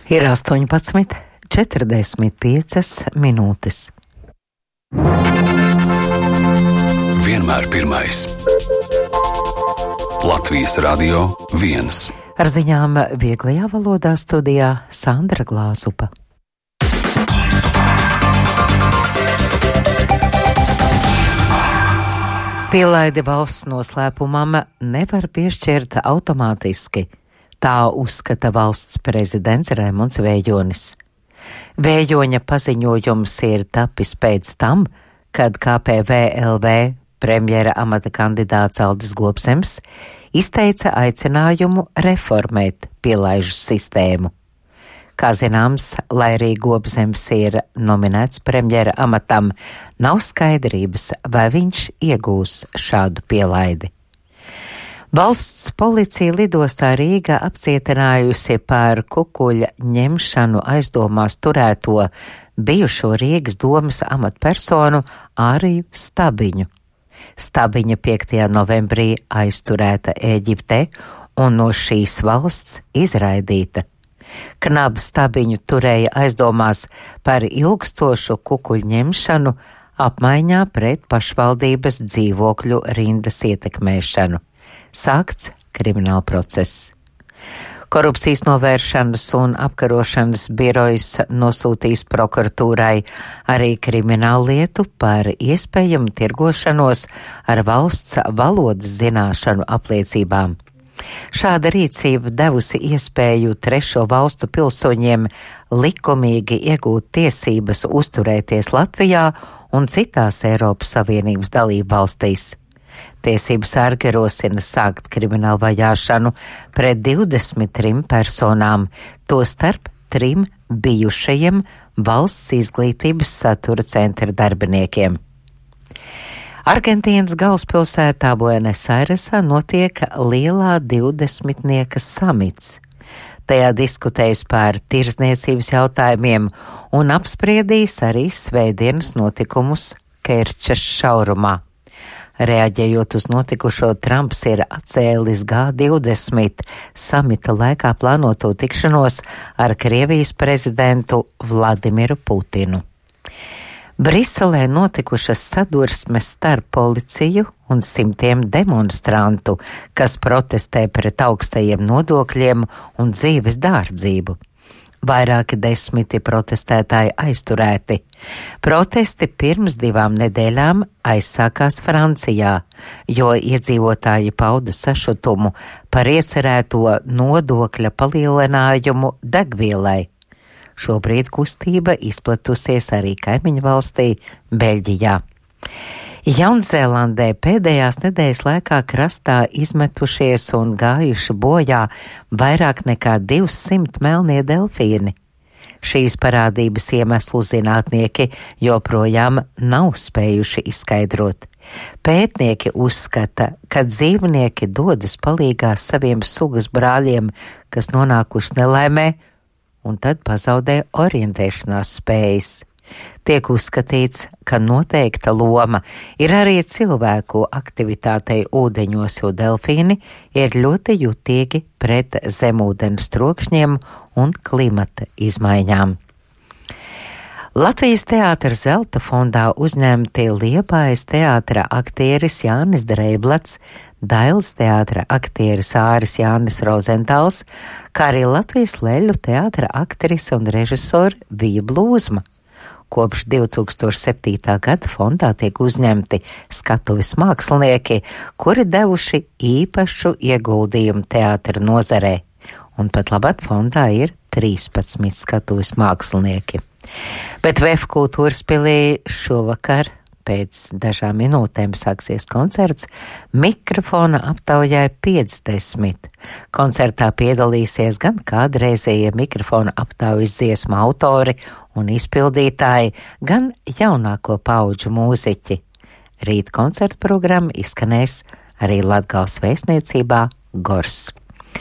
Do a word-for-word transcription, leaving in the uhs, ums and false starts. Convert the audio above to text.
Ir astoņpadsmit četrdesmit piecas minūtes. Vienmēr pirmais. Latvijas Radio viens. Ar ziņām vieglajā valodā studijā Sandra Glāzupa. Pielaidi valsts noslēpumam nevar piešķirt automātiski. Tā uzskata valsts prezidents Raimonds Vējonis. Vējoņa paziņojums ir tapis pēc tam, kad K P V L V premjera amata kandidāts Aldis Gobzems izteica aicinājumu reformēt pielaižu sistēmu. Kā zināms, lai arī Gobzems ir nominēts premjera amatam, nav skaidrības, vai viņš iegūs šādu pielaidi. Valsts policija lidostā Rīgā apcietinājusi par kukuļa ņemšanu aizdomās turēto bijušo Rīgas domas amatpersonu Āriju Stabiņu. Stabiņa piektajā novembrī aizturēta Ēģiptē un no šīs valsts izraidīta. Knaba Stabiņu turēja aizdomās par ilgstošu kukuļu ņemšanu apmaiņā pret pašvaldības dzīvokļu rindas ietekmēšanu. Sākts krimināla process. Korupcijas novēršanas un apkarošanas birojas nosūtīs prokuratūrai arī kriminālu lietu par iespējamu tirgošanos ar valsts valodas zināšanu apliecībām. Šāda rīcība devusi iespēju trešo valstu pilsoņiem likumīgi iegūt tiesības uzturēties Latvijā un citās Eiropas Savienības dalību valstīs. Tiesības sargi rosina sākt kriminālu vajāšanu pret divdesmit trim personām, tostarp trim bijušajiem valsts izglītības satura centra darbiniekiem. Argentīnas galvaspilsētā Buenos Airesā notiek lielā divdesmitnieka samits. Tajā diskutēs par tirzniecības jautājumiem un apspriedīs arī svētdienas notikumus Kerčas šaurumā. Reaģējot uz notikušo, Trumps ir atcēlis G divdesmit samita laikā plānoto tikšanos ar Krievijas prezidentu Vladimiru Putinu. Briselē notikušas sadursmes starp policiju un simtiem demonstrantu, kas protestē pret augstajiem nodokļiem un dzīves dārdzību. Vairāki desmiti protestētāji aizturēti. Protesti pirms divām nedēļām aizsākās Francijā, jo iedzīvotāji pauda sašutumu par iecerēto nodokļa palielinājumu degvielai. Šobrīd kustība izplatusies arī kaimiņu valstī Beļģijā. Jaunzēlandē pēdējās nedēļas laikā krastā izmetušies un gājuši bojā vairāk nekā divsimt melnie delfīni. Šīs parādības iemeslu zinātnieki joprojām nav spējuši izskaidrot. Pētnieki uzskata, ka dzīvnieki dodas palīgā saviem sugas brāļiem, kas nonākuši nelaimē, un tad pazaudē orientēšanās spējas. Tiek uzskatīts, ka noteikta loma ir arī cilvēku aktivitātei ūdeņos, jo delfīni ir ļoti jutīgi pret zemūdens trokšņiem un klimata izmaiņām. Latvijas teātra Zelta fondā uzņemti Liepājas teātra aktieris Jānis Dreiblats, Dailes teātra aktieris Āris Jānis Rozentāls, kā arī Latvijas Leļu teātra aktrise un režisore Vija Blūzma. Kopš divi tūkstoši septītā gada fondā tiek uzņemti skatuves mākslinieki, kuri devuši īpašu ieguldījumu teātra nozarē, un pat labāk fondā ir trīspadsmit skatuves mākslinieki. Bet V F kultūras pilī šovakar pēc dažām minūtēm sāksies koncerts Mikrofona aptaujai piecdesmit. Koncertā piedalīsies gan kādreizējie mikrofona aptaujas dziesmu autori un izpildītāji, gan jaunāko paudžu mūziķi. Rīt koncerta programma izskanēs arī Latgales vēstniecībā Gors.